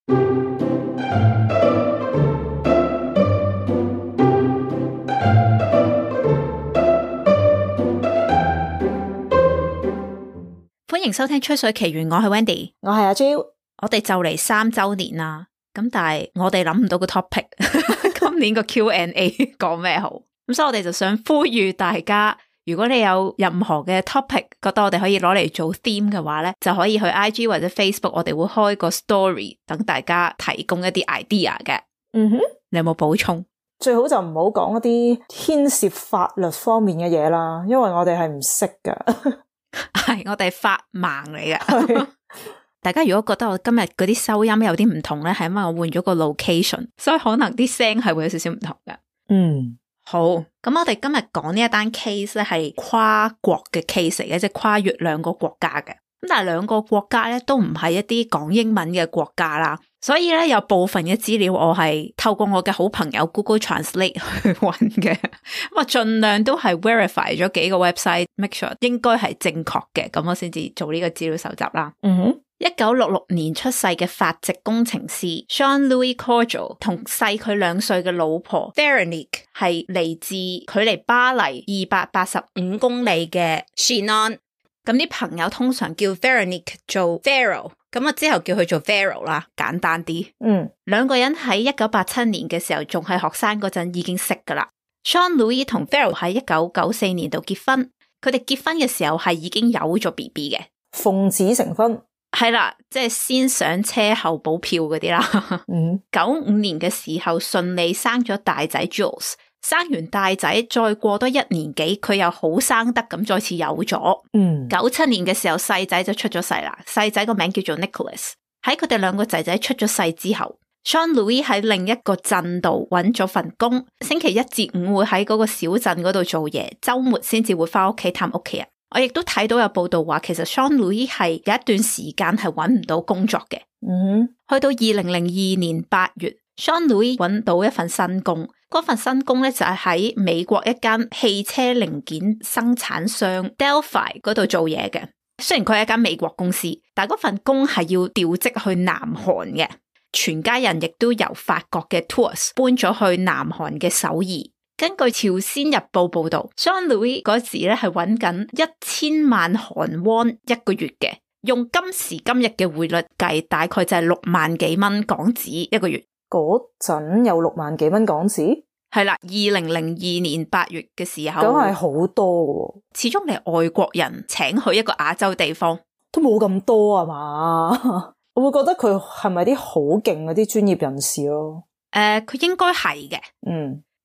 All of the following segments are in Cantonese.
歡迎收聽吹水奇緣，我係 Wendy， 我係阿 Jo。我哋就嚟3周年啦，咁但係我哋諗唔到個 topic， 今年個 Q&A 講咩好？咁所以我哋就想呼籲大家，如果你有任何嘅 topic， 覺得我哋可以攞嚟做 theme 嘅話咧，就可以去 IG 或者 Facebook， 我哋會開個 story 等大家提供一啲 idea 嘅。嗯哼，你有冇補充？最好就唔好講一啲牽涉法律方面嘅嘢啦，因為我哋係唔識噶。係我哋法盲嚟嘅。大家如果覺得我今日嗰啲收音有啲唔同咧，係因為我換咗個 location， 所以可能啲聲係會有少少唔同嘅。嗯，好，咁我哋今日講呢一單 case 咧係跨國嘅 case 嚟嘅，即係跨越2個國家嘅。咁但係2個國家咧都唔係一啲講英文嘅國家啦，所以咧有部分嘅資料我係透過我嘅好朋友 Google Translate 去揾嘅，咁啊盡量都係 verify 咗幾個 website，make sure 應該係正確嘅，咁我先至做呢個資料搜集啦。嗯哼，1966年出世嘅法籍工程師 Jean-Louis Courgeot 同細佢2歲嘅老婆 Veronique 係嚟自距離巴黎285公里嘅 Chinon。咁啲朋友通常叫 Veronique 做 Vero， 咁我之後叫佢做 Vero 啦，簡單啲。2個人喺1987年嘅時候仲係學生嗰陣已經識噶啦。Jean-Louis 同 Vero 喺1994年度結婚，佢哋結婚嘅時候係已經有咗 BB 嘅，奉子成婚。係啦，即係先上車後補票嗰啲啦。95年嘅時候順利生咗大仔 Jules， 生完大仔再過多1年幾，佢又好生得咁再次有咗。97年嘅時候細仔就出咗世啦，細仔個名叫做 Nicholas。喺佢哋2個仔仔出咗世之後， Jean-Louis 喺另一個鎮度揾咗份工，星期1至5會喺嗰個小鎮嗰度做嘢，周末先至會翻屋企探屋企人。我亦都睇到有報道話，其實 Jean-Louis 係有一段時間係揾唔到工作嘅。去到2002年8月 Jean-Louis 揾到一份新工，嗰份新工咧就係喺美國一間汽車零件生產商 Delphi 嗰度做嘢嘅。雖然佢係一間美國公司，但係嗰份工係要調職去南韓嘅，全家人亦都由法國嘅 Tours 搬咗去南韓嘅首爾。根據朝鮮日報報道 Jean-Louis 嗰時咧係揾緊1000萬韓元一個月嘅，用今時今日嘅匯率計，大概就係6萬幾蚊港紙一個月。嗰陣有6萬幾蚊港紙？係啦，2002年8月嘅時候，咁係好多喎。始終你係外國人請去一個亞洲地方，都冇咁多啊嘛。我會覺得佢係咪啲好勁嗰啲專業人士咯？佢應該係嘅。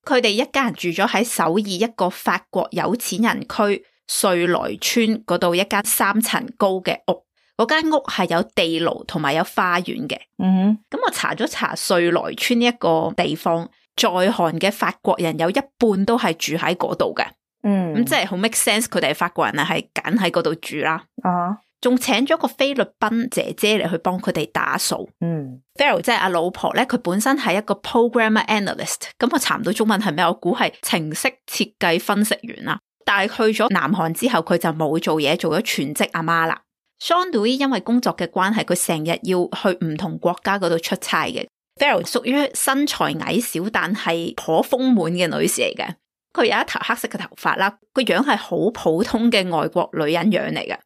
佢哋一家人住咗喺首爾一個法國有錢人區瑞來村嗰度一間3層高嘅屋，嗰間屋係有地牢同埋有花園嘅。咁我查咗查瑞來村呢一個地方，在韓嘅法國人有一半都係住喺嗰度嘅。咁即係好 make sense， 佢哋係法國人係揀喺嗰度住啦。仲請咗個菲律賓姐姐嚟去幫佢哋打掃。Vero 即係阿老婆咧，佢本身係一個 programmer analyst， 咁我查唔到中文係咩，我估係程式設計分析員啦。但係去咗南韓之後，佢就冇做嘢，做咗全職阿媽啦。Jean-Louis 因為工作嘅關係，佢成日要去唔同國家嗰度出差嘅。Vero 屬於身材矮小但係頗豐滿嘅女士嚟嘅。佢有一頭黑色嘅頭髮啦，個樣係好普通嘅外國女人樣嚟嘅。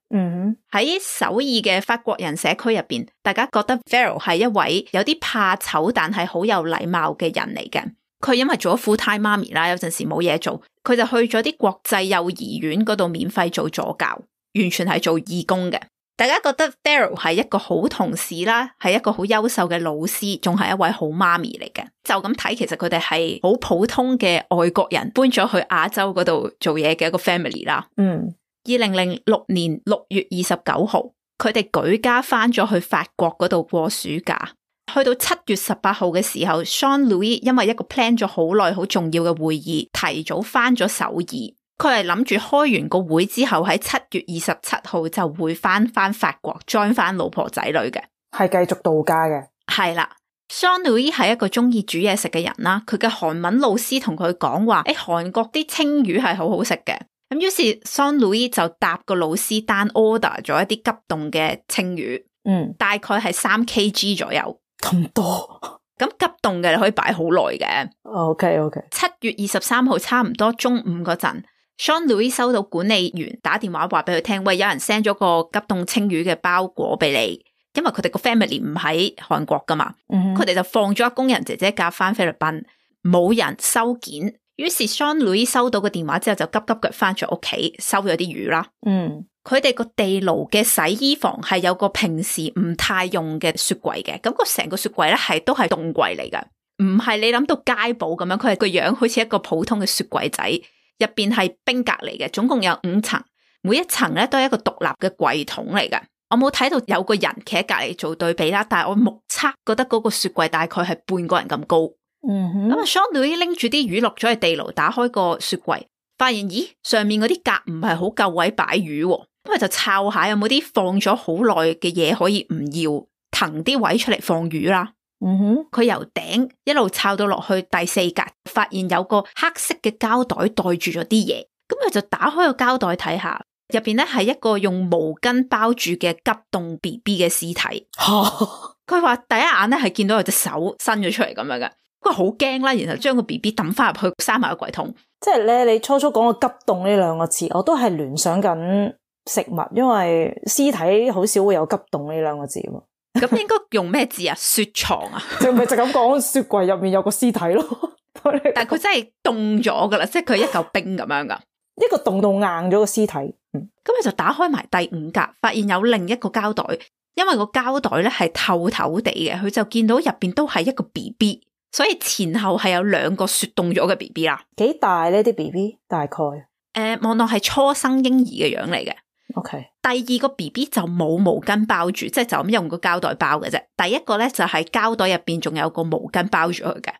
喺首爾嘅法國人社區入邊，大家覺得 Vero 係一位有啲怕醜但係好有禮貌嘅人嚟嘅。佢因為做咗 full time 媽咪啦，有陣時冇嘢做，佢就去咗啲國際幼兒園嗰度免費做助教，完全係做義工嘅。大家覺得 Vero 係一個好同事啦，係一個好優秀嘅老師，仲係一位好媽咪嚟嘅。就咁睇，其實佢哋係好普通嘅外國人搬咗去亞洲嗰度做嘢嘅一個 family 啦。2006年6月29號，佢哋舉家翻咗去法國嗰度過暑假。去到7月18號嘅時候 Jean-Louis 因為一個 plan 咗好耐好重要嘅會議，提早翻咗首爾。佢係諗住開完個會之後喺7月27號就會翻法國 join 翻老婆仔女嘅，係繼續度假嘅。係啦， Jean-Louis 係一個中意煮嘢食嘅人啦，佢嘅韓文老師同佢講話，韓國啲青魚係好好食嘅。咁於是 Jean-Louis 就答個老師單 order 咗一啲急凍嘅青魚，大概係3 kg 左右。咁多。咁急凍嘅你可以擺好耐嘅。OK。7月23號差唔多中午嗰陣，Jean-Louis 收到管理員打電話話俾佢聽，喂，有人 send 咗個急凍青魚嘅包裹俾你，因為佢哋個 family 唔喺韓國噶嘛，佢哋就放咗工人姐姐架翻菲律賓，冇人收件。於是 Jean-Louis 收到個電話之後就急急腳翻咗屋企收咗啲魚啦。佢哋個地牢嘅洗衣房係有個平時唔太用嘅雪櫃嘅，咁個成個雪櫃咧都係凍櫃嚟噶，唔係你諗到街寶咁樣，佢係個樣好似一個普通嘅雪櫃仔，入邊係冰格嚟嘅，總共有5層，每一層咧都係一個獨立嘅櫃桶嚟噶。我冇睇到有個人企喺隔籬做對比啦，但係我目測覺得嗰個雪櫃大概係半個人咁高。咁啊 Jean-Louis 拎住啲魚落咗去地牢，打開個雪櫃，發現咦上面嗰啲格唔係好夠位擺魚，咁佢就抄下有冇啲放咗好耐嘅嘢可以唔要，騰啲位出嚟放魚啦。佢由頂一路抄到落去第4格，發現有個黑色嘅膠袋袋住咗啲嘢，咁佢就打開個膠袋睇下，入邊咧係一個用毛巾包住嘅急凍 BB 嘅屍體。佢話第一眼咧係見到有隻手伸咗出嚟咁樣嘅，佢好驚啦，然後將個 BB 抌翻入去，閂埋個櫃桶。即係咧，你初講個急凍呢2個字，我都係聯想緊食物，因為屍體好少會有急凍呢2個字嘛。咁應該用咩字啊？雪藏啊？就咪就咁講，雪櫃入面有個屍體咯。但係佢真係凍咗噶啦，即係佢一嚿冰咁樣噶，一個凍到硬咗個屍體。咁佢就打開埋第5格，發現有另一個膠袋，因為個膠袋咧係透透地嘅，佢就見到入邊都係一個 BB， 所以前後係有2個雪凍咗嘅 BB 啦。幾大呢啲 BB？ 大概望落係初生嬰兒嘅樣嚟嘅。OK， 第2個 BB 就冇毛巾包住，即係就咁用個膠袋包嘅啫。第一個咧就係膠袋入邊仲有個毛巾包住佢嘅。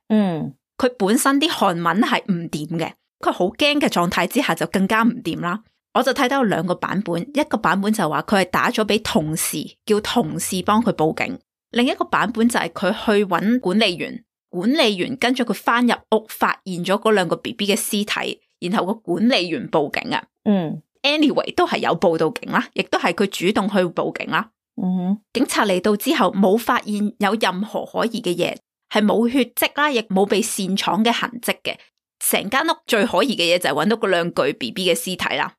佢本身啲韓文係唔掂嘅，佢好驚嘅狀態之下就更加唔掂啦。我就睇到有2個版本，一個版本就話佢係打咗俾同事，叫同事幫佢報警；另一個版本就係佢去揾管理員，管理員跟咗佢翻入屋，發現咗嗰2個 BB 嘅屍體，然後個管理員報警啊。Anyway 都係有報到警啦，亦都係佢主動去報警啦。警察嚟到之後冇發現有任何可疑嘅嘢，係冇血跡啦，亦冇被擅闖嘅痕跡嘅。成間屋最可疑嘅嘢就係揾到嗰2具 BB 嘅屍體啦。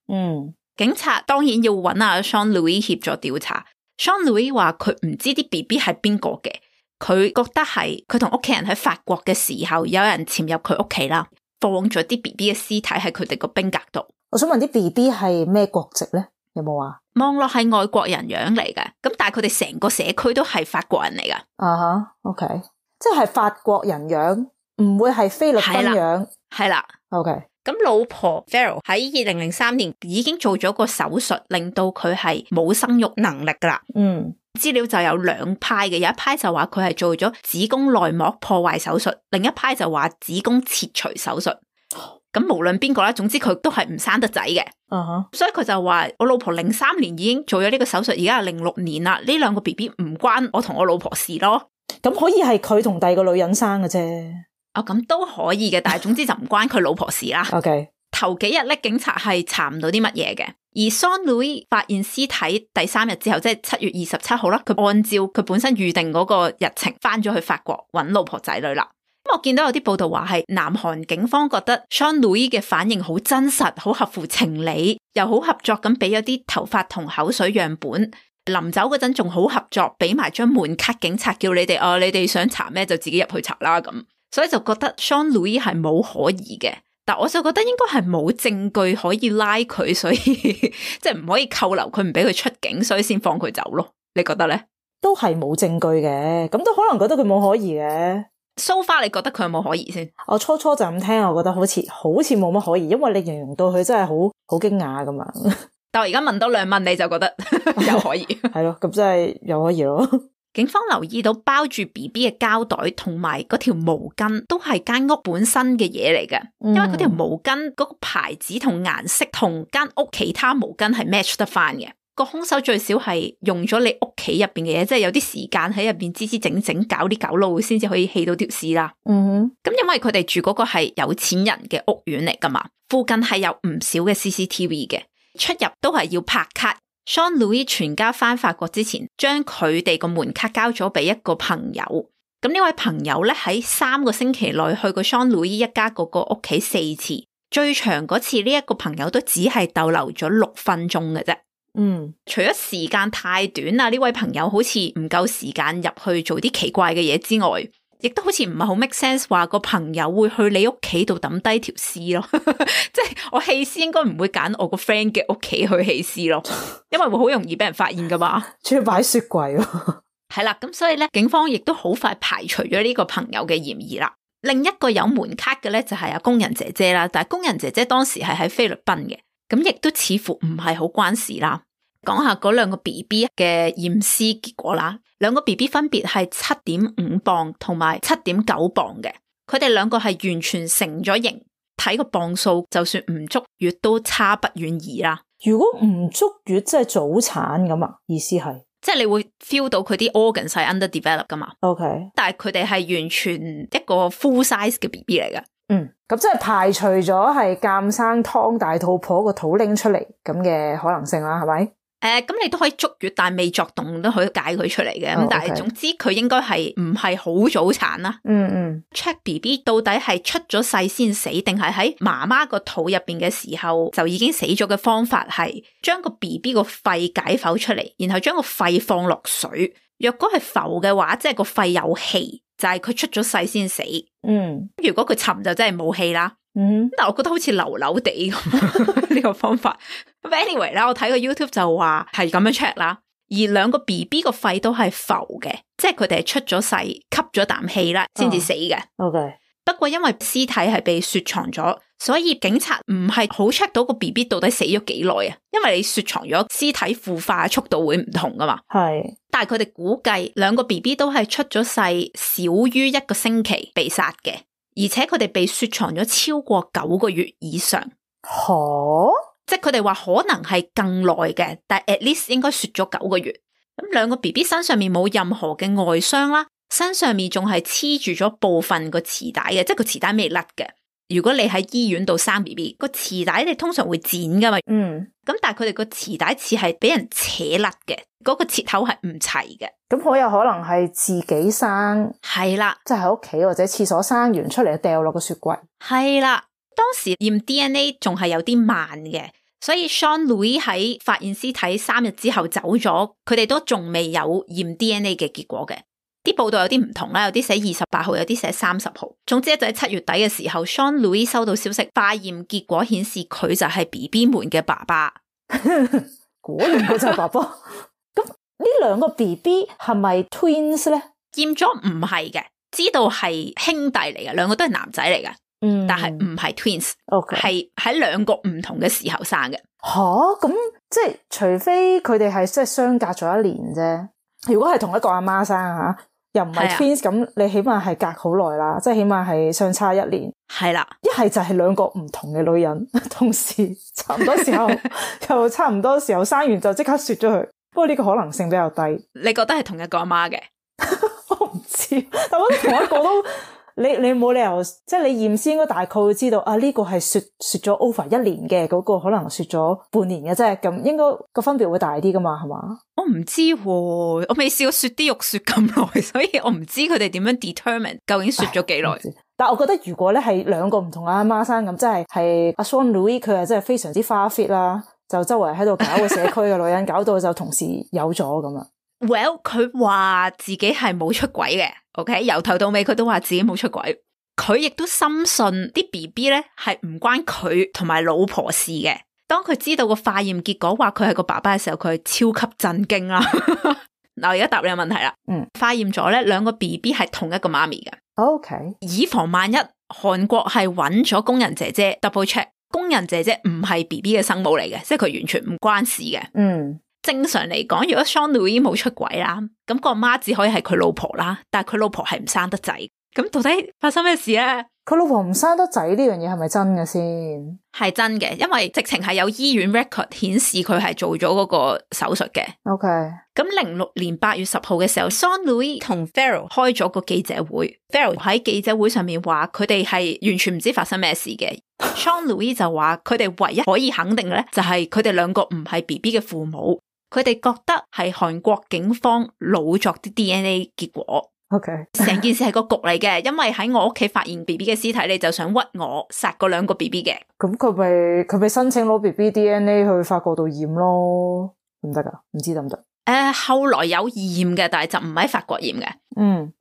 警察當然要揾阿 Jean-Louis 協助調查。Jean-Louis 話佢唔知啲 BB 係邊個嘅，佢覺得係佢同屋企人喺法國嘅時候有人潛入佢屋企啦，放咗啲 BB 嘅屍體喺佢哋個冰格度。我想問啲 BB 係咩國籍咧？有冇啊？望落係外國人樣嚟嘅，咁但係佢哋成個社區都係法國人嚟噶。OK， 即係法國人樣，唔會係菲律賓樣。係啦。OK， 咁老婆 Farrell 喺2003年已經做咗個手術，令到佢係冇生育能力噶啦。資料就有2派嘅，有一派就話佢係做咗子宮內膜破壞手術，另一派就話子宮切除手術。咁無論邊個啦，總之佢都係唔生得仔嘅。所以佢就話我老婆03年已經做咗呢個手術，而家係06年啦，呢2個 BB 唔關我同我老婆事咯。咁可以係佢同第2個女人生嘅啫。咁都可以嘅，但係總之就唔關佢老婆事啦。OK， 頭幾日咧，警察係查唔到啲乜嘢嘅，而 Jean-Louis 發現屍體第3日之後，即係7月27號啦，佢按照佢本身預定嗰個日程翻咗去法國揾老婆仔女啦。咁我見到有啲報道話係南韓警方覺得 Jean-Louis 嘅反應好真實，好合乎情理，又好合作咁俾咗啲頭髮同口水樣本。臨走嗰陣仲好合作，俾埋張門卡警察，叫你哋你哋想查咩就自己入去查啦咁。所以就覺得 Jean-Louis 係冇可疑嘅，但我就覺得應該係冇證據可以拉佢，所以即係唔可以扣留佢，唔俾佢出境，所以先放佢走咯。你覺得咧？都係冇證據嘅，咁都可能覺得佢冇可疑嘅。So far 你覺得佢有冇可疑先？我初就咁聽，我覺得好似冇乜可疑，因為你形容到佢真係好驚訝噶嘛。但我而家問多2問，你就覺得有可疑？係咯，咁真係有可疑咯。警方留意到包住 BB 嘅膠袋同埋嗰條毛巾都係間屋本身嘅嘢嚟嘅，因為嗰條毛巾嗰個牌子同顏色同間屋其他毛巾係 match 得翻嘅。個兇手最少係用咗你屋企入邊嘅嘢，即係有啲時間喺入邊支支整整搞啲狗路，先至可以棄到條屍啦。咁因為佢哋住嗰個係有錢人嘅屋苑嚟噶嘛，附近係有唔少嘅 CCTV 嘅，出入都係要拍卡。Sean Louis 全家返法國之前，將佢哋個門卡交咗俾一個朋友。咁呢位朋友咧喺3個星期內去過 Sean Louis 一家嗰個屋企4次，最長嗰次呢一個朋友都只係逗留咗6分鐘嘅啫。除咗時間太短啦，呢位朋友好似唔夠時間入去做啲奇怪嘅嘢之外，亦都好似唔係好 make sense 話個朋友會去你屋企度抌低條屍咯。即係我棄屍應該唔會揀我個 friend 嘅屋企去棄屍咯，因為會好容易俾人發現噶嘛。仲要擺雪櫃咯。係啦，咁所以咧，警方亦都好快排除咗呢個朋友嘅嫌疑啦。另一個有門卡嘅咧就係工人姐姐啦，但係工人姐姐當時係喺菲律賓嘅，咁亦都似乎唔係好關事啦。講下嗰2個 BB 嘅驗屍結果啦，2個 BB 分別係 7.5 磅同埋 7.9 磅嘅，佢哋2個係完全成咗型，睇個磅數就算唔足月都差不遠矣啦。如果唔足月即係早產咁啊？意思係？即係你會 feel 到佢啲 organs 係 underdevelop 噶嘛 ？OK， 但係佢哋係完全一個 full size 嘅 BB 嚟嘅。咁即係排除咗係監生劏大肚婆個肚拎出嚟咁嘅可能性啦，係咪？咁你都可以足月，但係未作動都可以解佢出嚟嘅。咁但係總之佢應該係唔係好早產啦。check BB 到底係出咗世先死，定係喺媽媽個肚入邊嘅時候就已經死咗嘅方法係將個 BB 個肺解剖出嚟，然後將個肺放落水。若果係浮嘅話，即係個肺有氣，就係佢出咗世先死。如果佢沉就真係冇氣啦。但我覺得好似流流地咁呢個方法。Anyway 啦，我睇個 YouTube 就話係咁樣 check 啦。而2個 BB 個肺都係浮嘅，即係佢哋係出咗世吸咗啖氣啦先至死嘅。OK。不過因為屍體係被雪藏咗，所以警察唔係好 check 到個 BB 到底死咗幾耐啊。因為你雪藏咗，屍體腐化速度會唔同噶嘛。係。但係佢哋估計2個 BB 都係出咗世少於1個星期被殺嘅。而且佢哋被雪藏咗超過9個月以上，即係佢哋話可能係更耐嘅，但係 at least 應該雪咗9個月。咁2個 BB 身上面冇任何嘅外傷啦，身上面仲係黐住咗部分個臍帶嘅，即係個臍帶未甩嘅。如果你喺醫院度生 BB， 個臍帶你通常會剪噶嘛，咁但係佢哋個臍帶似係俾人扯甩嘅，嗰個切口係唔齊嘅。咁好有可能係自己生，係啦，即係喺屋企或者廁所生完出嚟掉落個雪櫃。係啦，當時驗 DNA 仲係有啲慢嘅，所以 Sean Louis 喺發現屍體3日之後走咗，佢哋都仲未有驗 DNA 嘅結果嘅。啲報道有啲唔同啦，有啲寫28號，有啲寫30號。總之就喺7月底嘅時候 ，Sean Louis 收到消息，化驗結果顯示佢就係 BB 們嘅爸爸。果然佢就係爸爸。咁呢2個 BB 係咪 twins 咧？驗咗唔係嘅，知道係兄弟嚟嘅，2個都係男仔嚟嘅。但係唔係 twins， 係喺2個唔同嘅時候生嘅。咁即係除非佢哋係即係相隔咗1年啫。如果係同一個阿媽生吓，又唔係 twins， 咁你起碼係隔好耐啦，即係起碼係相差1年。係啦，一係就係2個唔同嘅女人，同時差唔多時候又差唔多時候生完就即刻雪咗佢。不過呢個可能性比較低。你覺得係同一個阿媽嘅？我唔知，但我覺得同一個都你冇理由，即係你驗屍應該大概會知道啊，呢個係雪咗 over 1年嘅，嗰個可能雪咗半年嘅啫，咁應該個分別會大啲噶嘛，係嘛？我唔知喎，我未試過雪啲肉雪咁耐，所以我唔知佢哋點樣 determine 究竟雪咗幾耐。但係我覺得如果咧係2個唔同阿媽生咁，即係阿 Sean Louis 佢係真係非常之花 fit 啦，就周圍喺度搞個社區嘅女人，搞到就同時有咗咁啊。Well， 佢話自己係冇出軌嘅 ，OK， 由頭到尾佢都話自己冇出軌。佢亦都深信啲 BB 咧係唔關佢同埋老婆事嘅。當佢知道個化驗結果話佢係個爸爸嘅時候，佢係超級震驚啦。嗱，我而家答你個問題啦。化驗咗咧2個 BB 係同一個媽咪嘅。OK， 以防萬一，韓國係揾咗工人姐姐 double check， 工人姐姐唔係 BB 嘅生母嚟嘅，即係佢完全唔關事嘅。正常嚟講，如果 Sean Louis 冇出軌啦，咁個媽只可以係佢老婆啦，但係佢老婆係唔生得仔。咁到底發生咩事咧？佢老婆唔生得仔呢樣嘢係咪真嘅先？係真嘅，因為直情係有醫院 record 顯示佢係做咗嗰個手術嘅。OK， 咁06年8月10號嘅時候 ，Sean Louis 同 Farrell 開咗個記者會。Farrell 喺記者會上面話佢哋係完全唔知發生咩事嘅。Sean Louis 就話佢哋唯一可以肯定咧，就係佢哋2個唔係 BB 嘅父母。佢哋覺得係韓國警方老作啲 DNA 結果。OK， 成件事係個局嚟嘅，因為喺我屋企發現 BB 嘅屍體，你就想屈我殺嗰兩個 BB 嘅。咁佢咪申請攞 BB DNA 去法國度驗咯？唔得噶，唔知得唔得？後來有驗嘅，但係就唔喺法國驗嘅。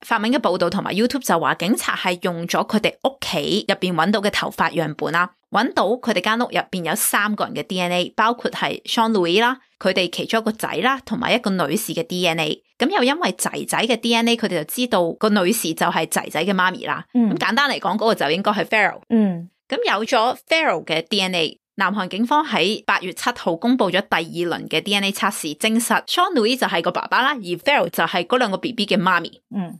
法文嘅報道同埋 YouTube 就話警察係用咗佢哋屋企入邊揾到嘅頭髮樣本啦，揾到佢哋間屋入邊有3個人嘅 DNA， 包括係 Jean-Louis 啦，佢哋其中一個仔啦，同埋一個女士嘅 DNA。咁又因為仔仔嘅 DNA， 佢哋就知道個女士就係仔仔嘅媽咪啦。咁簡單嚟講，嗰個就應該係 Farrell。咁有咗 Farrell 嘅 DNA。南韓警方喺8月7號公布咗第2輪嘅 DNA 測試，證實 Jean-Louis 就係個爸爸啦，而 Farrell 就係嗰兩個 BB 嘅媽咪。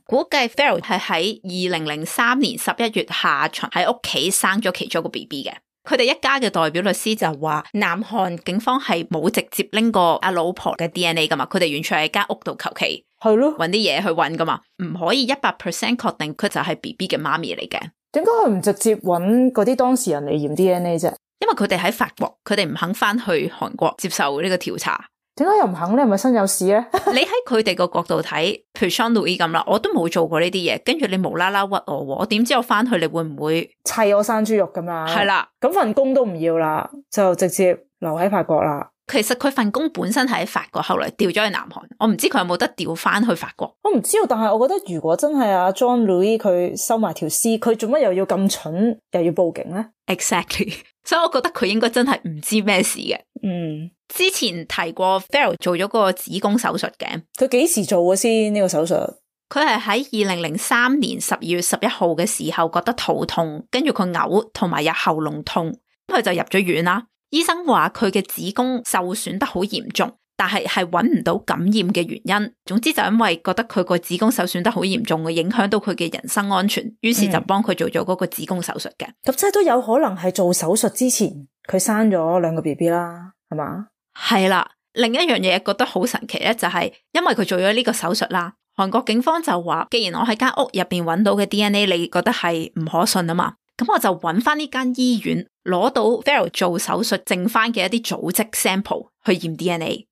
估計 Farrell 係喺2003年11月下旬喺屋企生咗其中一個 BB 嘅。佢哋一家嘅代表律師就話，南韓警方係冇直接拎過阿老婆嘅 DNA 噶嘛，佢哋完全係間屋度求其揾啲嘢去揾噶嘛，唔可以100% 確定佢就係 BB 嘅媽咪嚟嘅。點解佢唔直接揾嗰啲當事人嚟驗 DNA 啫？因為佢哋喺法國，佢哋唔肯翻去韓國接受呢個調查。點解又唔肯咧？係咪身有事咧？你喺佢哋個角度睇，譬如 Jean-Louis 咁啦，我都冇做過呢啲嘢，跟住你無啦啦屈我點知我翻去你會唔會砌我生豬肉咁啊？係啦，咁份工都唔要啦，就直接留喺法國啦。其實佢份工本身係喺法國，後來調咗去南韓，我唔知佢有冇得調翻去法國。我唔知道，但係我覺得如果真係阿 Jean-Louis 佢收埋條屍，佢做乜又要咁蠢，又要報警咧 ？Exactly， 所以我覺得佢應該真係唔知咩事嘅。之前提過 Farrell 做咗個子宮手術嘅，佢幾時做嘅先呢個手術？佢係喺2003年12月11號嘅時候覺得肚痛，跟住佢嘔同埋有喉嚨痛，佢就入咗院啦。醫生話佢嘅子宮受損得好嚴重，但係揾唔到感染嘅原因。總之就因為覺得佢個子宮受損得好嚴重，會影響到佢嘅人身安全，於是就幫佢做咗嗰個子宮手術嘅。咁即係都有可能係做手術之前佢生咗兩個 BB 啦，係嘛？係啦，另一樣嘢覺得好神奇咧，就係因為佢做咗呢個手術啦，韓國警方就話，既然我喺間屋入邊揾到嘅 DNA 你覺得係唔可信啊嘛，咁我就揾翻呢間醫院攞到 Farrell 做手術剩翻嘅一啲組織 sample 去驗 DNA。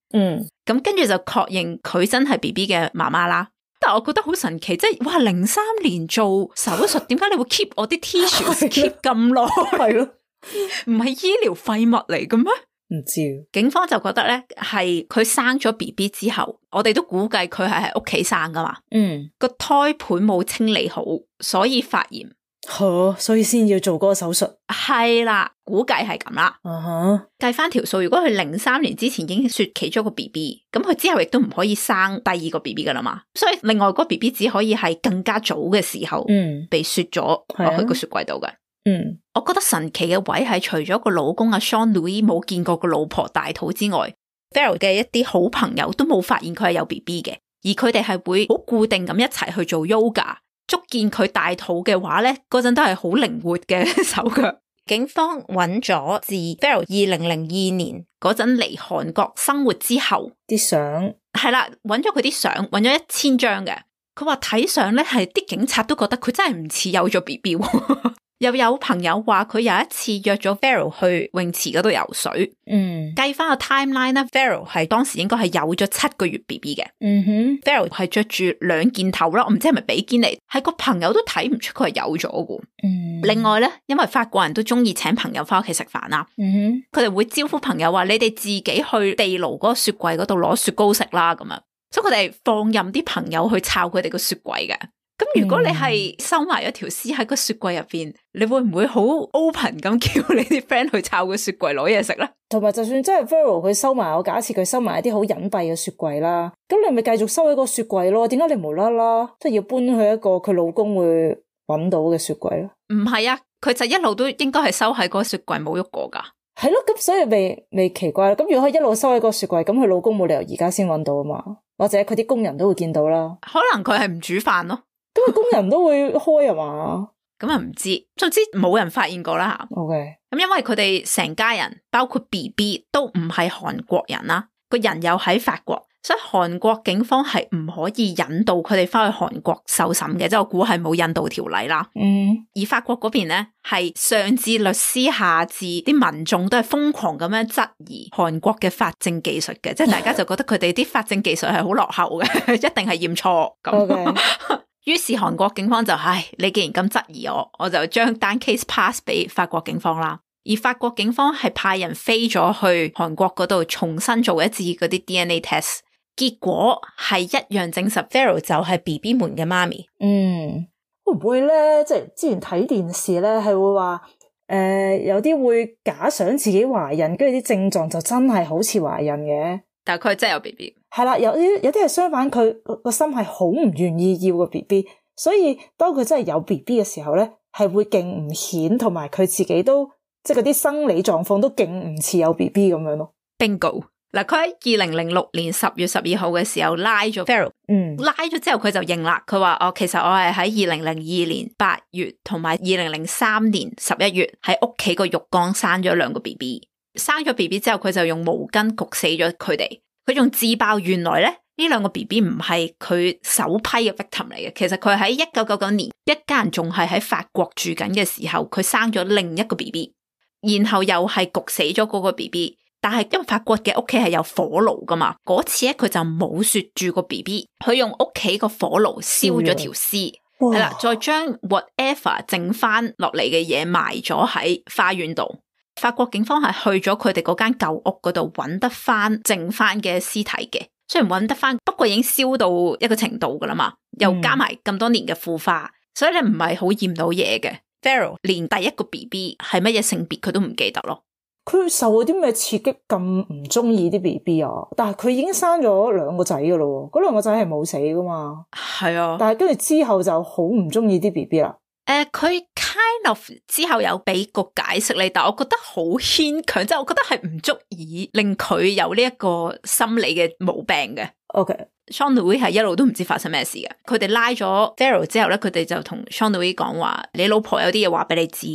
咁跟住就確認佢真係 BB 嘅媽媽啦。但係我覺得好神奇，即係哇03年做手術，點解你會 keep 我啲 tissue keep 咁耐？係咯，唔係醫療廢物嚟嘅咩？唔知。警方就覺得咧，係佢生咗 BB 之後，我哋都估計佢係喺屋企生噶嘛。個胎盤冇清理好，所以發炎。所以先要做嗰個手術。係啦，估計係咁啦。計翻條數，如果佢03年之前已經雪其中一個 BB， 咁佢之後亦都唔可以生第二個 BB 噶啦嘛。所以另外嗰個 BB 只可以係更加早嘅時候被雪咗落去個雪櫃度嘅。我覺得神奇嘅位係除咗個老公阿 Jean-Louis 冇見過個老婆大肚之外， Farrell 嘅一啲好朋友都冇發現佢係有 BB 嘅，而佢哋係會好固定咁一齊去做 yoga。捉見佢大肚嘅話咧，嗰陣都係好靈活嘅手腳。警方揾咗自 Farrell 2002年嗰陣嚟韓國生活之後啲相，係啦，揾咗佢啲相，揾咗1000張嘅。佢話睇相咧，係啲警察都覺得佢真係唔似有咗 BB。又有朋友話佢有一次約咗 Farrell 去泳池嗰度游水。計翻個 timeline 咧， Farrell 係當時應該係有咗7個月 BB 嘅。Farrell 係着住2件頭啦，我唔知係咪比堅尼，係個朋友都睇唔出佢係有咗嘅。另外咧，因為法國人都中意請朋友翻屋企食飯啦，佢哋會招呼朋友話：你哋自己去地牢嗰個雪櫃嗰度攞雪糕食啦，咁樣。所以佢哋放任啲朋友去抄佢哋個雪櫃嘅。咁如果你係收埋咗條屍喺個雪櫃入邊，你會唔會好 open 咁叫你啲 friend 去抄個雪櫃攞嘢食咧？同埋就算真係 Farrell 佢收埋，我假設佢收埋一啲好隱蔽嘅雪櫃啦，咁你咪繼續收喺個雪櫃咯？點解你無啦啦即係要搬去一個佢老公會揾到嘅雪櫃咧？唔係啊，佢就一路都應該係收喺個雪櫃冇喐過噶。係咯，咁所以未奇怪啦。咁如果佢一路收喺個雪櫃，咁佢老公冇理由而家先揾到啊嘛？或者佢啲工人都會見到啦。可能佢係唔煮飯咯。咁工人都會開啊嘛？咁啊唔知，總之冇人發現過啦吓。OK，咁因為佢哋成家人包括 BB 都唔係韓國人啦，個人又喺法國，所以韓國警方係唔可以引導佢哋翻去韓國受審嘅，即係我估係冇引渡條例啦。而法國嗰邊咧，係上至律師下至啲民眾都係瘋狂咁樣質疑韓國嘅法證技術嘅，即係大家就覺得佢哋啲法證技術係好落後嘅，一定係驗錯咁。於是韓國警方就你既然咁質疑我就將單 case pass 俾法國警方啦。而法國警方係派人飛咗去韓國嗰度重新做一次嗰啲 DNA test， 結果係一樣證實 Vero 就係 BB 們嘅媽咪。會唔會咧？即係之前睇電視咧，係會話有啲會假想自己懷孕，跟住啲症狀就真係好似懷孕嘅。但係佢真係有 BB。係啦，有啲係相反，佢個心係好唔願意要個 BB， 所以當佢真係有 BB 嘅時候咧，係會勁唔顯，同埋佢自己都即係嗰啲生理狀況都勁唔似有 BB 咁樣咯。Bingo。嗱，佢喺2006年10月12號嘅時候拉咗 Vero， 拉咗之後佢就認啦，佢話其實我係喺2002年8月同埋2003年11月喺屋企個浴缸生咗2個 BB， 生咗 BB 之後佢就用毛巾焗死咗佢哋，佢仲自爆原來咧呢2個 BB 唔係佢首批嘅 victim 嚟嘅，其實佢喺1999年一家人仲係喺法國住緊嘅時候，佢生咗另一個 BB， 然後又係焗死咗嗰個 BB。但係因為法國嘅屋企係有火爐噶嘛，嗰次咧佢就冇雪住個 BB， 佢用屋企個火爐燒咗條屍，係啦，再將 whatever 剩翻落嚟嘅嘢埋咗喺花園度。法國警方係去咗佢哋嗰間舊屋嗰度揾得翻剩翻嘅屍體嘅，雖然揾得翻，不過已經燒到一個程度噶啦嘛，又加埋咁多年嘅腐化，所以你唔係好驗到嘢嘅。Vero 連第一個 BB 係乜嘢性別佢都唔記得咯。佢受咗啲咩刺激咁唔中意啲 BB 啊？但係佢已經生咗2個仔噶咯，嗰2個仔係冇死噶嘛？係啊，但係跟住之後就好唔中意啲 BB 啦。佢 kind of 之後有俾個解釋你，但係我覺得好牽強，即係我覺得係唔足以令佢有呢一個心理嘅毛病嘅。Jean-Louis 係一路都唔知發生咩事嘅，佢哋拉咗 Vero 之後咧，佢哋就同 Jean-Louis 講話，你老婆有啲嘢話俾你知。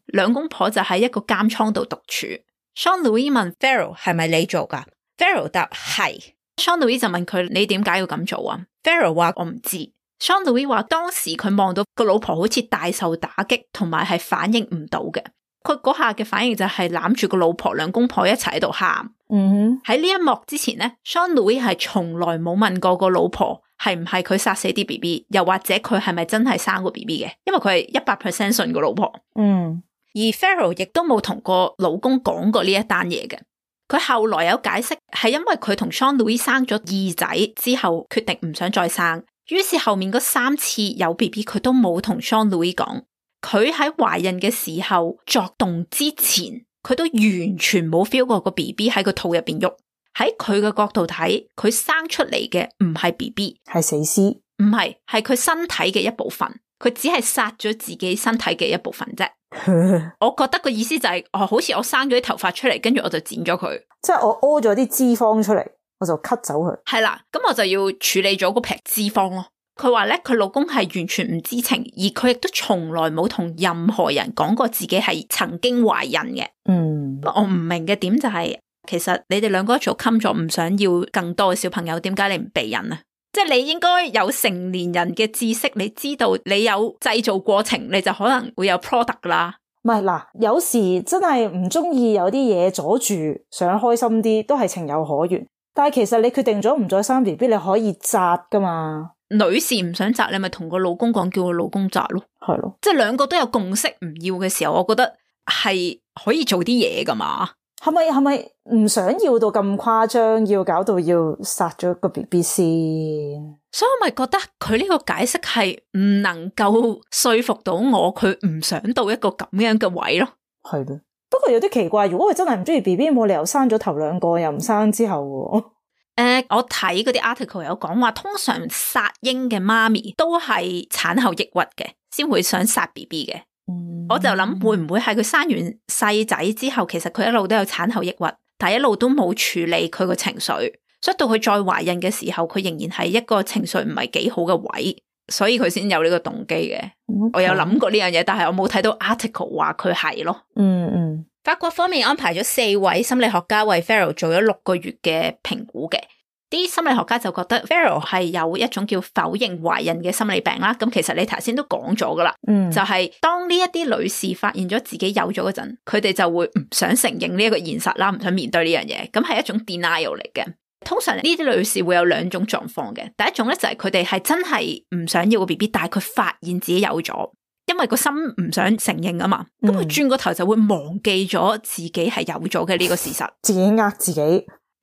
兩公婆就喺一個監倉度獨處。Jean-Louis 問 Vero 係咪你做噶？ Vero 答係。Jean-Louis 就問佢，你點解要咁做啊？ Vero 話我唔知。Jean-Louis 話當時佢望到個老婆好似大受打擊，同埋係反應唔到嘅。佢嗰下嘅反應就係攬住個老婆，兩公婆一齊喺度喊。喺呢一幕之前咧 Jean-Louis 係從來冇問過個老婆係唔係佢殺死啲 BB， 又或者佢係咪真係生過 BB 嘅，因為佢係100% 信個老婆。而 Vero 亦都冇同個老公講過呢一單嘢嘅。佢後來有解釋係因為佢同 Jean-Louis 生咗2仔之後決定唔想再生，於是後面嗰3次有 BB 佢都冇同 Jean-Louis 講。佢喺懷孕嘅時候作動之前，佢都完全冇 feel 過個 BB 喺個肚入邊喐。喺佢嘅角度睇，佢生出嚟嘅唔係 BB， 係死屍，唔係，係佢身體嘅一部分。佢只係殺咗自己身體嘅一部分啫。我覺得個意思就係，好似我生咗啲頭髮出嚟，跟住我就剪咗佢，即係我屙咗啲脂肪出嚟，我就 cut 走佢。係啦，咁我就要處理咗嗰撇脂肪咯。佢話咧，佢老公係完全唔知情，而佢亦都從來冇同任何人講過自己係曾經懷孕嘅。我唔明嘅點就係，其實你哋兩個一早冚咗，唔想要更多嘅小朋友，點解你唔避孕啊？即係你應該有成年人嘅知識，你知道你有製造過程，你就可能會有 product 噶啦。唔係嗱，有時真係唔中意有啲嘢阻住，想開心啲都係情有可原。但係其實你決定咗唔再生 BB， 你可以擇噶嘛。女士唔想擇，你咪同個老公講，叫個老公擇咯。係咯，即係兩個都有共識唔要嘅時候，我覺得係可以做啲嘢噶嘛。係咪唔想要到咁誇張，要搞到要殺咗個 BB 先？所以我咪覺得佢呢個解釋係唔能夠說服到我，佢唔想到一個咁樣嘅位咯。係咯，不過有啲奇怪，如果佢真係唔中意 BB， 冇理由生咗頭2個又唔生之後喎。我睇嗰啲 article 有講話，通常殺嬰嘅媽咪都係產後抑鬱嘅，先會想殺 BB 嘅。我就諗會唔會係佢生完細仔之後，其實佢一路都有產後抑鬱，但係一路都冇處理佢個情緒，所以到佢再懷孕嘅時候，佢仍然係一個情緒唔係幾好嘅位，所以佢先有呢個動機嘅。我有諗過呢樣嘢，但係我冇睇到 article 話佢係咯。法國方面安排咗4位心理學家為 Vero 做咗6個月嘅評估嘅，啲心理學家就覺得 Farrell 係有一種叫否認懷孕嘅心理病啦。咁其實你頭先都講咗噶啦，就係當呢一啲女士發現咗自己有咗嗰陣，佢哋就會唔想承認呢一個現實啦，唔想面對呢樣嘢。咁係一種 denial 嚟嘅。通常呢啲女士會有兩種狀況嘅。第一種咧就係佢哋係真係唔想要個 BB， 但係佢發現自己有咗，因為個心唔想承認啊嘛。咁佢轉個頭就會忘記咗自己係有咗嘅呢個事實，自己呃自己。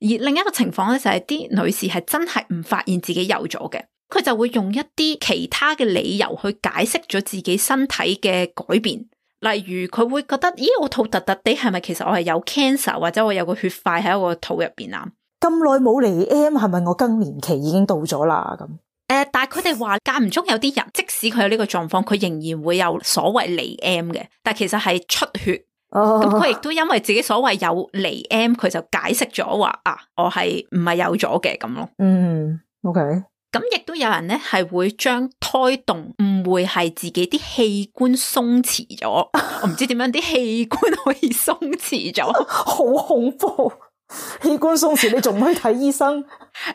而另一個情況咧就係啲女士係真係唔發現自己有咗嘅，佢就會用一啲其他嘅理由去解釋咗自己身體嘅改變。例如佢會覺得，咦，我肚突突地，係咪其實我係有 cancer， 或者我有個血塊喺我個肚入邊啊？咁耐冇嚟 M， 係咪我更年期已經到咗啦？咁但係佢哋話間唔中有啲人，即使佢有呢個狀況，佢仍然會有所謂嚟 M 嘅，但係其實係出血。咁佢亦都因為自己所謂有嚟 M， 佢就解釋咗話啊，我係唔係有咗嘅咁咯。OK。咁亦都有人咧係會將胎動誤會係自己啲器官鬆弛咗，我唔知點樣啲器官可以鬆弛咗，好恐怖！器官鬆弛你仲唔去睇醫生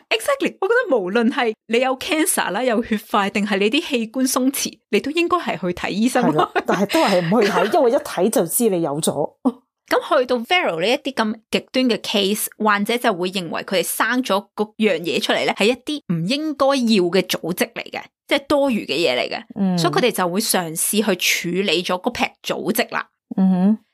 ？Exactly， 我覺得無論係你有 cancer 啦，有血塊，定係你啲器官鬆弛，你都應該係去睇醫生。但係都係唔去睇，因為一睇就知你有咗。咁去到 Farrell 呢一啲咁極端嘅 case， 患者就會認為佢哋生咗嗰樣嘢出嚟咧，係一啲唔應該要嘅組織嚟嘅，即係多餘嘅嘢嚟嘅。所以佢哋就會嘗試去處理咗嗰批組織啦。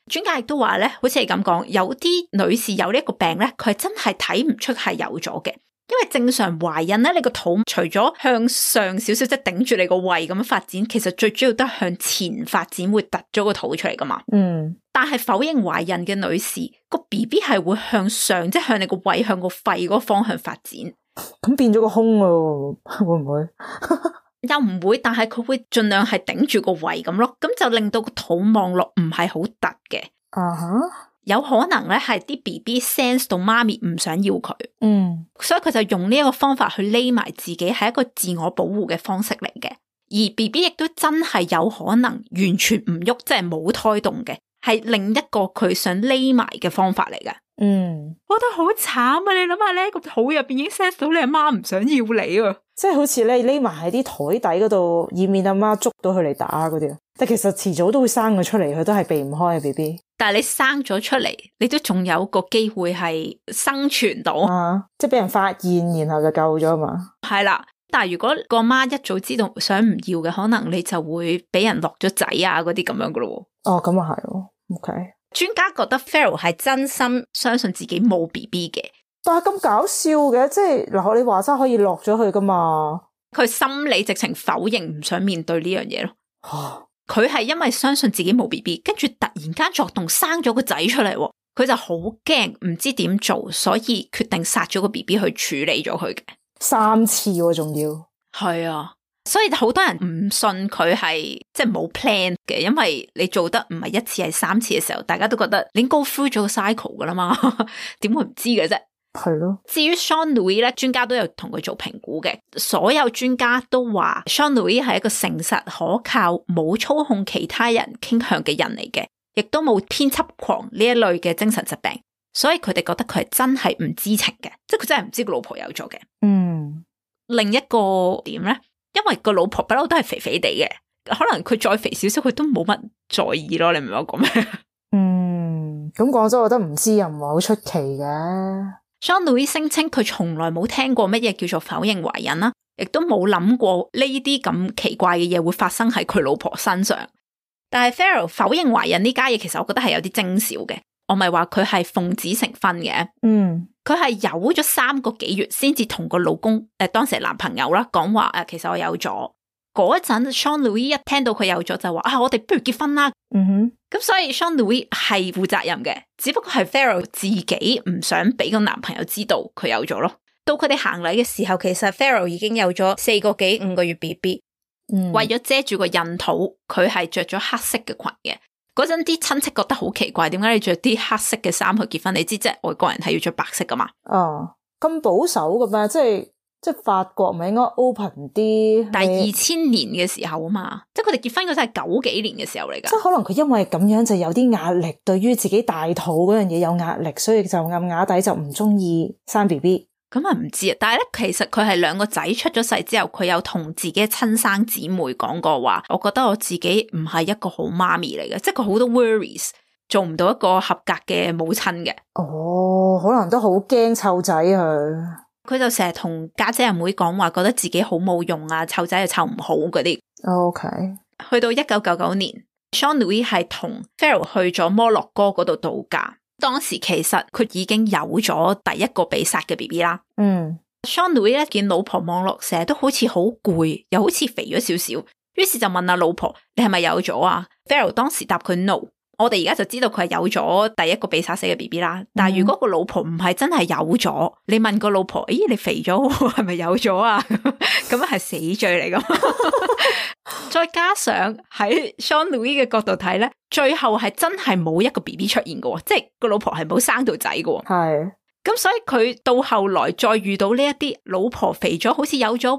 專家亦都話咧，好似係咁講，有啲女士有呢一個病咧，佢係真係睇唔出係有咗嘅，因為正常懷孕咧，你個肚除咗向上少少，即係頂住你個胃咁樣發展，其實最主要都係向前發展，會突咗個肚出嚟噶嘛。但係否認懷孕嘅女士，個 BB 係會向上，即係向你個胃、向個肺嗰個方向發展，咁變咗個胸咯，會唔會？又唔會，但係佢會盡量係頂住個胃咁咯，咁就令到個肚望落唔係好突嘅。有可能咧係啲 BB sense 到媽咪唔想要佢，所以佢就用呢一個方法去匿埋自己，係一個自我保護嘅方式嚟嘅。而 BB 亦都真係有可能完全唔喐，即係冇胎動嘅，係另一個佢想匿埋嘅方法嚟嘅。我覺得好慘啊！你諗下咧，個肚入邊已經 sense 到你阿媽唔想要你啊，即係好似咧匿埋喺啲台底嗰度，以免阿媽捉到佢嚟打嗰啲。但其實遲早都會生佢出嚟，佢都係避唔開嘅 BB。但係你生咗出嚟，你都仲有個機會係生存到，即係俾人發現，然後就救咗嘛。係啦，但係如果個媽一早知道想唔要嘅，可能你就會俾人落咗仔啊嗰啲咁樣噶咯。咁啊係咯 ，OK。專家覺得 Farrell 係真心相信自己冇 BB 嘅，但係咁搞笑嘅，即係嗱，你話齋可以落咗去噶嘛？佢心理直情否認，唔想面對呢樣嘢咯。佢係因為相信自己冇 BB， 跟住突然間作動生咗個仔出嚟，佢就好驚，唔知點做，所以決定殺咗個 BB 去處理咗佢嘅。3次喎，仲要係啊。所以好多人唔信佢係即係冇 plan 嘅，因為你做得唔係1次係3次嘅時候，大家都覺得你 go through 咗個 cycle 噶啦嘛，點會唔知嘅啫？係咯。至於 Shaun Louis 咧，專家都有同佢做評估嘅，所有專家都話 Shaun Louis 係一個誠實可靠、冇操控其他人傾向嘅人嚟嘅，亦都冇偏執狂呢一類嘅精神疾病，所以佢哋覺得佢係真係唔知情嘅，即係佢真係唔知個老婆有咗嘅。另一個點咧？因為個老婆不嬲都係肥肥地嘅，可能佢再肥少少，佢都冇乜在意咯。你明唔明我講咩？咁講真，我覺得唔知又唔係好出奇嘅。Shaun Louis 聲稱佢從來冇聽過乜嘢叫做否認懷孕啦，亦都冇諗過呢啲咁奇怪嘅嘢會發生喺佢老婆身上。但係 Farrell 否認懷孕呢家嘢，其實我覺得係有啲徵兆嘅。我咪話佢係奉子成婚嘅，佢係有咗3個幾月先至同個老公當時係男朋友啦講話其實我有咗。嗰陣 Shaun Louis 一聽到佢有咗就話我哋不如結婚啦。咁所以 Shaun Louis 係負責任嘅，只不過係 Farrell 自己唔想俾個男朋友知道佢有咗咯。到佢哋行禮嘅時候，其實 Farrell 已經有咗4個幾5個月 BB。為咗遮住個孕肚，佢係着咗黑色嘅裙嘅。嗰陣啲親戚覺得好奇怪，點解你着啲黑色嘅衫去結婚？你知即係外國人係要着白色噶嘛？咁保守噶咩？即係法國咪應該 open 啲？但係2000年嘅時候啊嘛，即係佢哋結婚嗰陣係90幾年嘅時候嚟噶。即係可能佢因為咁樣就有啲壓力，對於自己大肚嗰樣嘢有壓力，所以就暗啞底就唔中意生 BB。咁啊唔知啊，但係咧其實佢係兩個仔出咗世之後，佢有同自己親生姊妹講過話，我覺得我自己唔係一個好媽咪嚟嘅，即係佢好多 worries， 做唔到一個合格嘅母親嘅。哦，可能都好驚湊仔佢就成日同家姐阿妹講話，覺得自己好冇用啊，湊仔又湊唔好嗰啲。OK， 去到1999年 Jean-Louis 係同 Farrell 去咗摩洛哥嗰度度假。當時其實佢已經有咗第一個被殺嘅 BB 啦。Jean-Louis 咧見老婆望落成日都好似好攰，又好似肥咗少少，於是就問阿老婆：你係咪有咗啊？ Farrell 當時答佢 no。我哋而家就知道佢係有咗第一個被殺死嘅 BB 啦。但係如果個老婆唔係真係有咗，你問個老婆：咦，你肥咗係咪有咗啊？咁樣係死罪嚟㗎。再加上喺 Jean-Louis 嘅角度睇咧，最後係真係冇一個 BB 出現嘅，即係個老婆係冇生到仔嘅。係。咁所以佢到後來再遇到呢一啲老婆肥咗好似有咗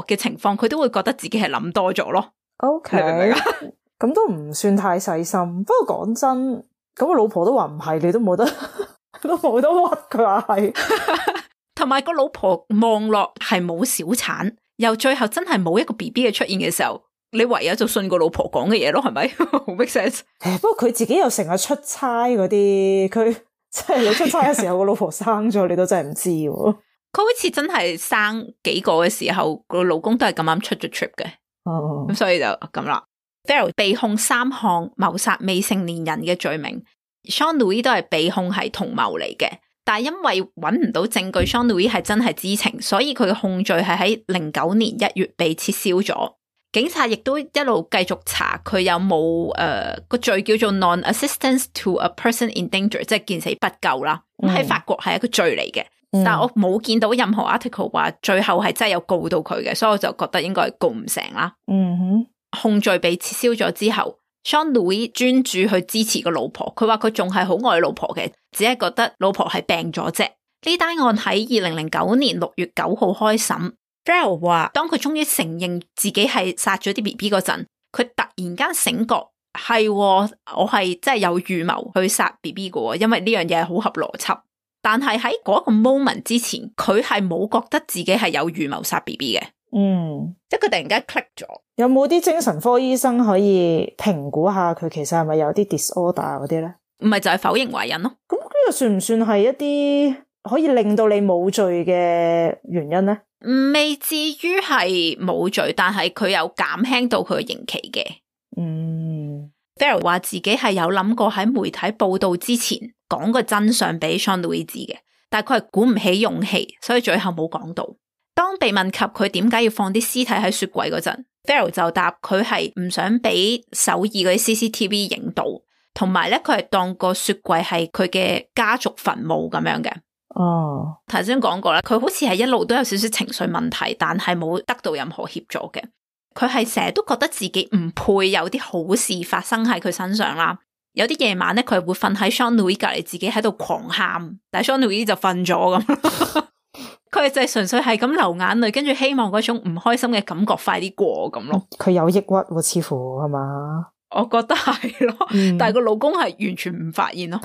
嘅情況，佢都會覺得自己係諗多咗咯。OK， 你明唔明啊？咁都唔算太細心。不過講真，咁個老婆都話唔係，你都冇得屈佢話係。同埋個老婆望落係冇小產，又最後真係冇一個 BB 嘅出現嘅時候，你唯有就信個老婆講嘅嘢咯，係咪？好 make sense。不過佢自己又成日出差嗰啲，佢即係你出差嘅時候個老婆生咗，你都真係唔知。佢好似真係生幾個嘅時候，個老公都係咁啱出咗 trip 嘅。咁所以就咁啦。Farrell 被控3項謀殺未成年人嘅罪名， Jean-Louis 都係被控係同謀嚟嘅，但係因為揾唔到證據 Jean-Louis 係真係知情，所以佢嘅控罪係喺09年1月被撤銷咗。警察亦都一路繼續查佢有冇個罪叫做 non-assistance to a person in danger， 即係見死不救啦。喺法國係一個罪嚟嘅，但係我冇見到任何 article 話最後係真係有告到佢嘅，所以我就覺得應該係告唔成啦。控罪被撤銷咗之後 Jean-Louis 專注去支持個老婆，佢話佢仲係好愛老婆嘅，只係覺得老婆係病咗啫。呢單案喺2009年6月9號開審。Farrell 話當佢終於承認自己係殺咗啲 BB 嗰陣，佢突然間醒覺，係我係真係有預謀去殺 BB 嘅，因為呢樣嘢係好合邏輯。但係喺嗰個 moment 之前，佢係冇覺得自己係有預謀殺 BB 嘅。即係佢突然間 click 咗。有冇啲精神科醫生可以評估下佢其實係咪有啲 disorder 嗰啲咧？唔係就係否認懷孕咯。咁呢個算唔算係一啲可以令到你冇罪嘅原因咧？未至於係冇罪，但係佢有減輕到佢嘅刑期嘅。Farrell 話自己係有諗過喺媒體報道之前講個真相俾 Jean-Louis 知嘅，但係佢係鼓唔起勇氣，所以最後冇講到。當被問及佢點解要放啲屍體喺雪櫃嗰陣， Farrell 就答佢係唔想俾首爾嗰啲 CCTV 影到，同埋咧佢係當個雪櫃係佢嘅家族墳墓咁樣嘅。頭先講過啦，佢好似係一路都有少少情緒問題，但係冇得到任何協助嘅。佢係成日都覺得自己唔配有啲好事發生喺佢身上啦。有啲夜晚咧，佢係會瞓喺 Jean-Louis 隔籬，自己喺度狂喊，但係 Jean-Louis 就瞓咗咁。佢就係純粹係咁流眼淚，跟住希望嗰種唔開心嘅感覺快啲過咁咯。佢有抑鬱喎，似乎係嘛？我覺得係咯，但係個老公係完全唔發現咯。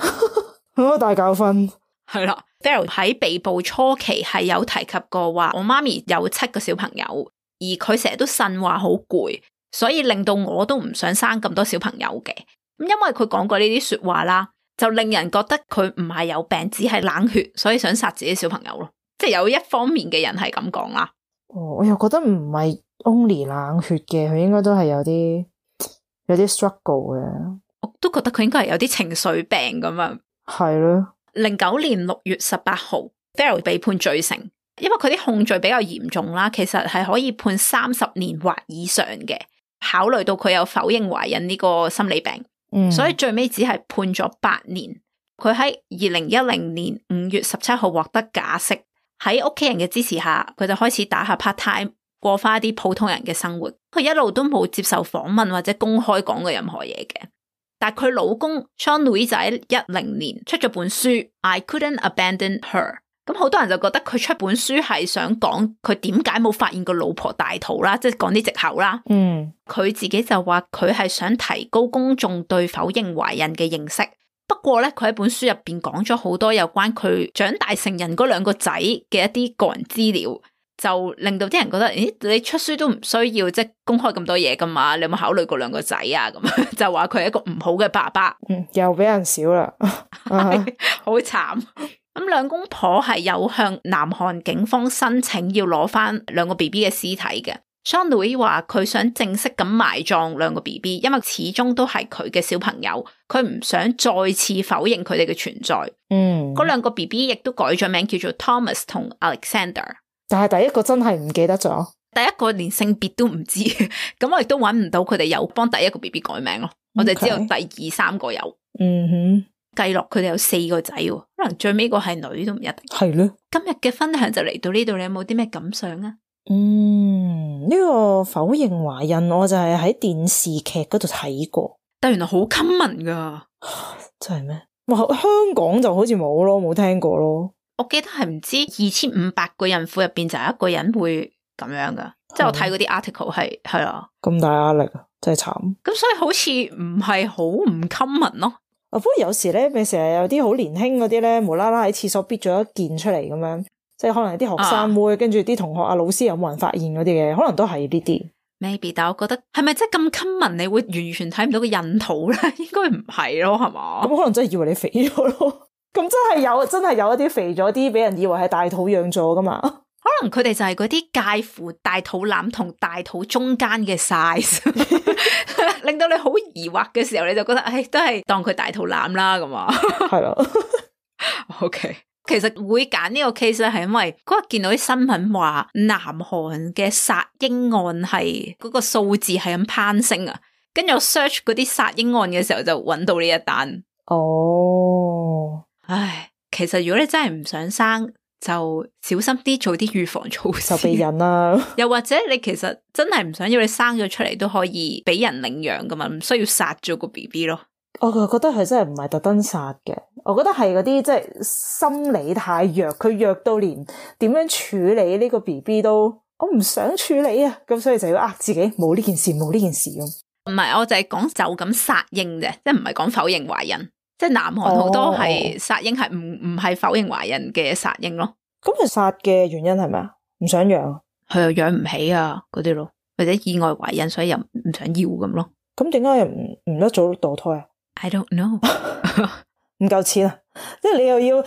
好大教訓。係啦 Farrell 喺被捕初期係有提及過話，我媽咪有7個小朋友，而佢成日都呻話好攰，所以令到我都唔想生咁多小朋友嘅。咁因為佢講過呢啲說話啦，就令人覺得佢唔係有病，只係冷血，所以想殺自己小朋友咯。即係有一方面嘅人係咁講啦。我又覺得唔係 only 冷血嘅，佢應該都係有啲 struggle 嘅。我都覺得佢應該係有啲情緒病咁樣。係咯。09年6月18號 Farrell 被判罪成，因為佢啲控罪比較嚴重啦，其實係可以判30年或以上嘅。考慮到佢有否認懷孕呢個心理病，所以最尾只係判咗8年。佢喺2010年5月17號獲得假釋，喺屋企人嘅支持下，佢就開始打下 part time， 過翻一啲普通人嘅生活。佢一路都冇接受訪問或者公開講過任何嘢嘅。但係佢老公 Jean-Louis 就喺10年出咗本書 I Couldn't Abandon Her， 咁好多人就覺得佢出本書係想講佢點解冇發現個老婆大肚啦，即係講啲藉口啦。佢自己就話佢係想提高公眾對否認懷孕嘅認識，不過咧，佢喺本書入邊講咗好多有關佢長大成人嗰兩個仔嘅一啲個人資料，就令到啲人覺得，咦，你出書都唔需要即係公開咁多嘢噶嘛？你有冇考慮過兩個仔啊？咁就話佢係一個唔好嘅爸爸。又俾人少啦，好慘。咁兩公婆係有向南韓警方申請要攞翻兩個 BB 嘅屍體嘅。Jean-Louis 話佢想正式咁埋葬兩個 BB， 因為始終都係佢嘅小朋友，佢唔想再次否認佢哋嘅存在。嗰兩個 BB 亦都改咗名叫做 Thomas 同 Alexander， 但係第一個真係唔記得咗，第一個連性別都唔知，咁我亦都揾唔到佢哋有幫第一個 BB 改名咯，我哋只有第二三個有。計落佢哋有4個仔，可能最尾個係女都唔一定。係咯，今日嘅分享就嚟到呢度，你有冇啲咩感想啊？呢個否認懷孕我就係喺電視劇嗰度睇過，但原來好 common 噶。真係咩？哇，香港就好似冇咯，冇聽過咯。我記得係唔知2500個孕婦入邊就有一個人會咁樣噶，即係我睇嗰啲 article 係啊，咁大壓力啊，真係慘。咁所以好似唔係好唔 common 咯。不過有時咧，咪成日有啲好年輕嗰啲咧，無啦啦喺廁所逼咗一件出嚟咁樣，即係可能啲學生妹，跟住啲同學啊、老師有冇人發現嗰啲嘅，可能都係呢啲。Maybe， 但係我覺得係咪真係咁 common？你會完全睇唔到個孕肚咧？應該唔係咯，係嘛？咁可能真係以為你肥咗咯。咁真係有一啲肥咗啲，俾人以為係大肚養咗噶嘛？可能佢哋就係嗰啲介乎大肚腩同大肚中間嘅 size， 令到你好疑惑嘅時候，你就覺得，都係當佢大肚腩啦咁啊。係咯。OK， 其實會揀呢個 case 咧，係因為嗰日見到啲新聞話，南韓嘅殺嬰案係嗰個數字係咁攀升啊，跟住我 search 嗰啲殺嬰案嘅時候就揾到呢一單。哦，唉，其實如果你真係唔想生，就小心啲做啲預防措施，就避孕啦。又或者你其實真係唔想要，你生咗出嚟都可以俾人領養噶嘛，唔需要殺咗個 BB 咯。我覺得佢真係唔係特登殺嘅，我覺得係嗰啲即係心理太弱，佢弱到連點樣處理呢個 BB 都我唔想處理啊，咁所以就要呃自己冇呢件事，冇呢件事咁。唔係，我就係講就咁殺嬰啫，即係唔係講否認懷孕。即係南韓好多係殺嬰係唔係否認懷孕嘅殺嬰咯。咁佢殺嘅原因係咩啊？唔想養，佢又養唔起啊嗰啲咯，或者意外懷孕所以又唔想要咁咯。咁點解又唔得早墮胎啊 ？I don't know， 唔夠錢啊！即係你又要，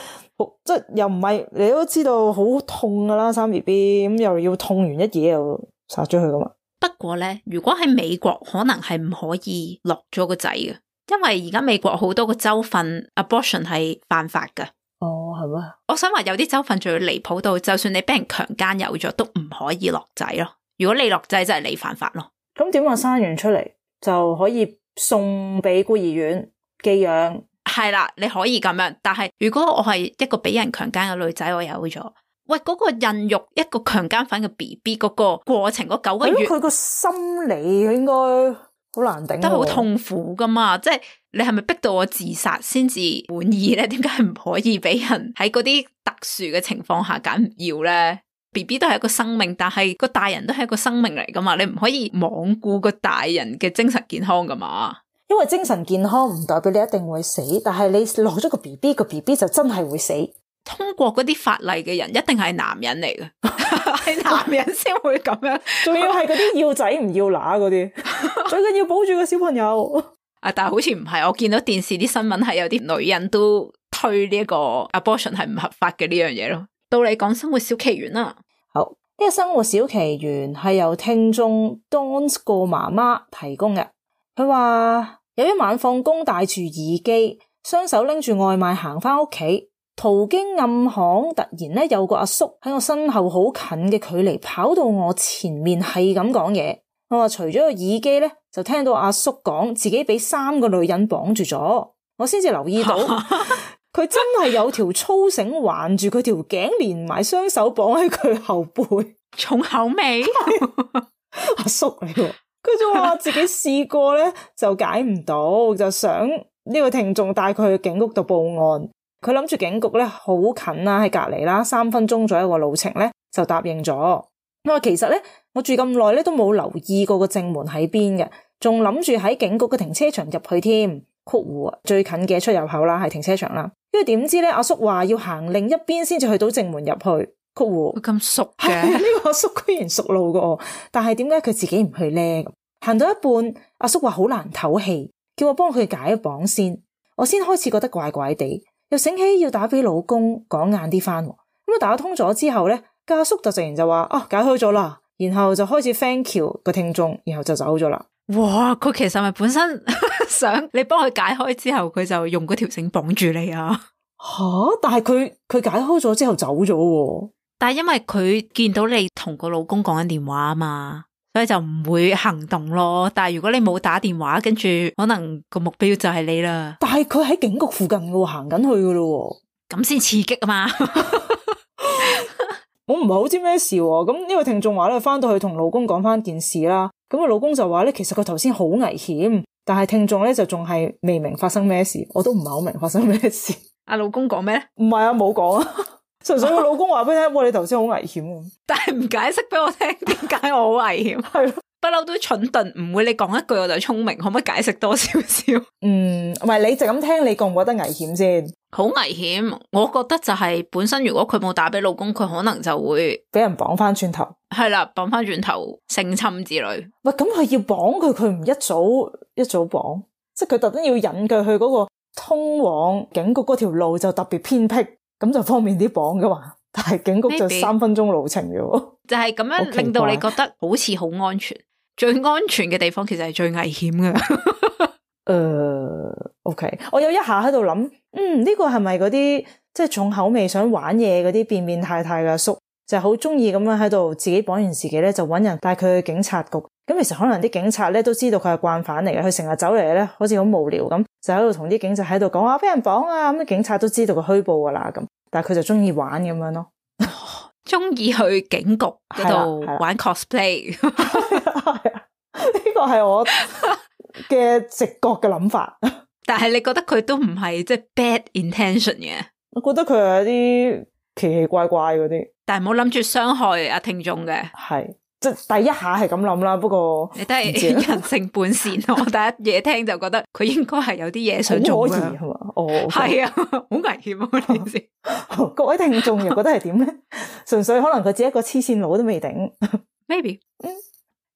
即係又唔係你都知道好痛噶啦，生 BB 咁又要痛完一嘢又殺咗佢噶嘛。不過咧，如果喺美國可能係唔可以落咗個仔嘅。因為而家美國好多個州份 abortion 係犯法噶。哦，係咩？我想話有啲州份仲要離譜到，就算你俾人強姦有咗，都唔可以落仔咯。如果你落仔，就係你犯法咯。咁點話生完出嚟就可以送俾孤兒院寄養？係啦，你可以咁樣。但係如果我係一個俾人強姦嘅女仔，我有咗，喂，嗰個孕育一個強姦犯嘅 BB 嗰個過程嗰9個月，佢個心理應該好難頂，都好痛苦噶嘛。即係你係咪逼到我自殺先至滿意咧？點解唔可以俾人喺嗰啲特殊嘅情況下揀唔要咧？ BB 都係一個生命，但係個大人都係一個生命嚟噶嘛，你唔可以罔顧個大人嘅精神健康噶嘛。因為精神健康唔代表你一定會死，但係你落咗個 BB， 個 BB 就真係會死。通過嗰啲法例嘅人一定係男人嚟嘅，係男人先會咁樣，仲要係嗰啲要仔唔要乸嗰啲，最緊要保住個小朋友。啊，但係好似唔係，我見到電視啲新聞係有啲女人都推呢一個 abortion 係唔合法嘅呢樣嘢咯。到你講生活小奇緣啦，好，呢個生活小奇緣係由聽眾 Dons 個媽媽提供嘅。佢話有一晚放工帶住耳機，雙手拎住外賣行翻屋企。途經暗巷，突然咧有個阿叔喺我身後好近嘅距離跑到我前面，係咁講嘢。我話除咗個耳機咧，就聽到阿叔講自己俾3個女人綁住咗。我先至留意到佢真係有條粗繩環住佢條頸，連埋雙手綁喺佢後背。重口味阿叔嚟喎，佢就話自己試過咧就解唔到，就想呢個聽眾帶佢去警局度報案。佢諗住警局咧好近啦，喺隔籬啦，3分鐘左右個路程咧就答應咗。我話其實咧我住咁耐咧都冇留意過個正門喺邊嘅，仲諗住喺警局嘅停車場入去添。括弧最近嘅出入口啦，係停車場啦。跟住點知咧，阿叔話要行另一邊先至去到正門入去。括弧咁熟嘅，呢個阿叔居然熟路過我，但係點解佢自己唔去咧？行到一半，阿叔話好難唞氣，叫我幫佢解綁先。我先開始覺得怪怪地，又醒起要打俾老公講晏啲翻。咁啊打通咗之後咧，阿叔就突然就話解開咗啦，然後就開始 thank you 個聽眾，然後就走咗啦。哇！佢其實咪本身想你幫佢解開之後，佢就用嗰條繩綁住你啊？吓！但係佢解開咗之後走咗。但係因為佢見到你同個老公講緊電話啊嘛，所以就唔會行動咯。但係如果你冇打電話，跟住可能個目標就係你啦。但係佢喺警局附近嘅，行緊去嘅咯。咁先刺激啊嘛！我唔係好知咩事喎。咁呢個聽眾話咧，翻到去同老公講翻件事啦。咁個老公就話咧，其實佢頭先好危險，但係聽眾咧就仲係未明發生咩事。我都唔係好明發生咩事。阿老公講咩？唔係啊，冇講啊。純粹個老公話俾你聽，哇！你頭先好危險，但係唔解釋俾我聽點解我好危險。係咯，不嬲都蠢鈍，唔會你講一句我就聰明，可唔可以解釋多少少？唔係你就咁聽，你覺唔覺得危險先？好危險，我覺得就係本身如果佢冇打俾老公，佢可能就會俾人綁翻轉頭。係啦，綁翻轉頭性侵之類。喂，咁佢要綁佢唔一早綁，即係佢特登要引佢去嗰個通往警局嗰條路就特別偏僻。咁就方便啲綁噶嘛，但係警局就3分鐘路程嘅喎，就係咁樣令到你覺得好似好安全。最安全嘅地方其實係最危險嘅。OK， 我有一下喺度諗，呢個係咪嗰啲即係重口味想玩嘢嗰啲變變態態嘅阿叔，就係好中意咁樣喺度自己綁完自己咧，就搵人帶佢去警察局。咁其實可能啲警察咧都知道佢係慣犯嚟嘅，佢成日走嚟咧好似好無聊咁，就喺度同啲警察喺度講俾人綁啊，咁啲警察都知道佢虛報噶啦咁，但係佢就中意玩咁樣咯，中意去警局嗰度玩 cosplay。呢個係我嘅直覺嘅諗法。但係你覺得佢都唔係即係 bad intention 嘅？我覺得佢係一啲奇奇怪怪嗰啲，但係冇諗住傷害阿聽眾嘅。係。即係第一下係咁諗啦，不過你都係人性本善。我第一嘢聽就覺得佢應該係有啲嘢想做嘅，係嘛？哦，係啊，好危險啊！呢件事，各位聽眾又覺得係點咧？純粹可能佢自己一個黐線佬都未定。Maybe，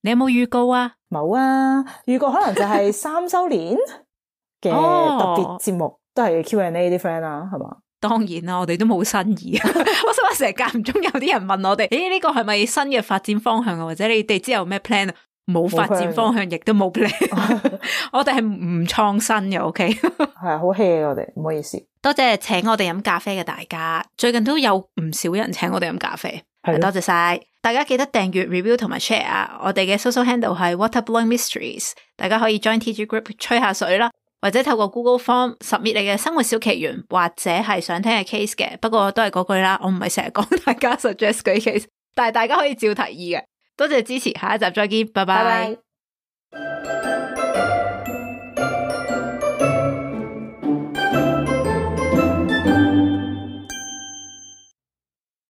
你有冇預告啊？冇啊，預告可能就係3周年嘅特別節目，都係 Q&A 啲 friend 啦，係嘛？當然啦，我哋都冇新意。我想話成日間唔中有啲人問我哋，呢個係咪新嘅發展方向啊？或者你哋之後咩 plan 啊？冇發展方向，亦都冇 plan。我哋係唔創新嘅，OK？ 係好 hea 我哋，唔好意思。多謝請我哋飲咖啡嘅大家，最近都有唔少人請我哋飲咖啡，多謝晒。大家記得訂閱、review 同埋 share 啊！我哋嘅 social handle 係 Waterblowing Mysteries， 大家可以 join TG group 吹下水啦。或者透過 Google Form submit 你嘅生活小奇緣，或者係想聽嘅 case 嘅，不過都係嗰句啦，我唔係成日講大家 suggest 嗰啲 case， 但係大家可以照提議嘅。多謝支持，下一集再見，拜拜。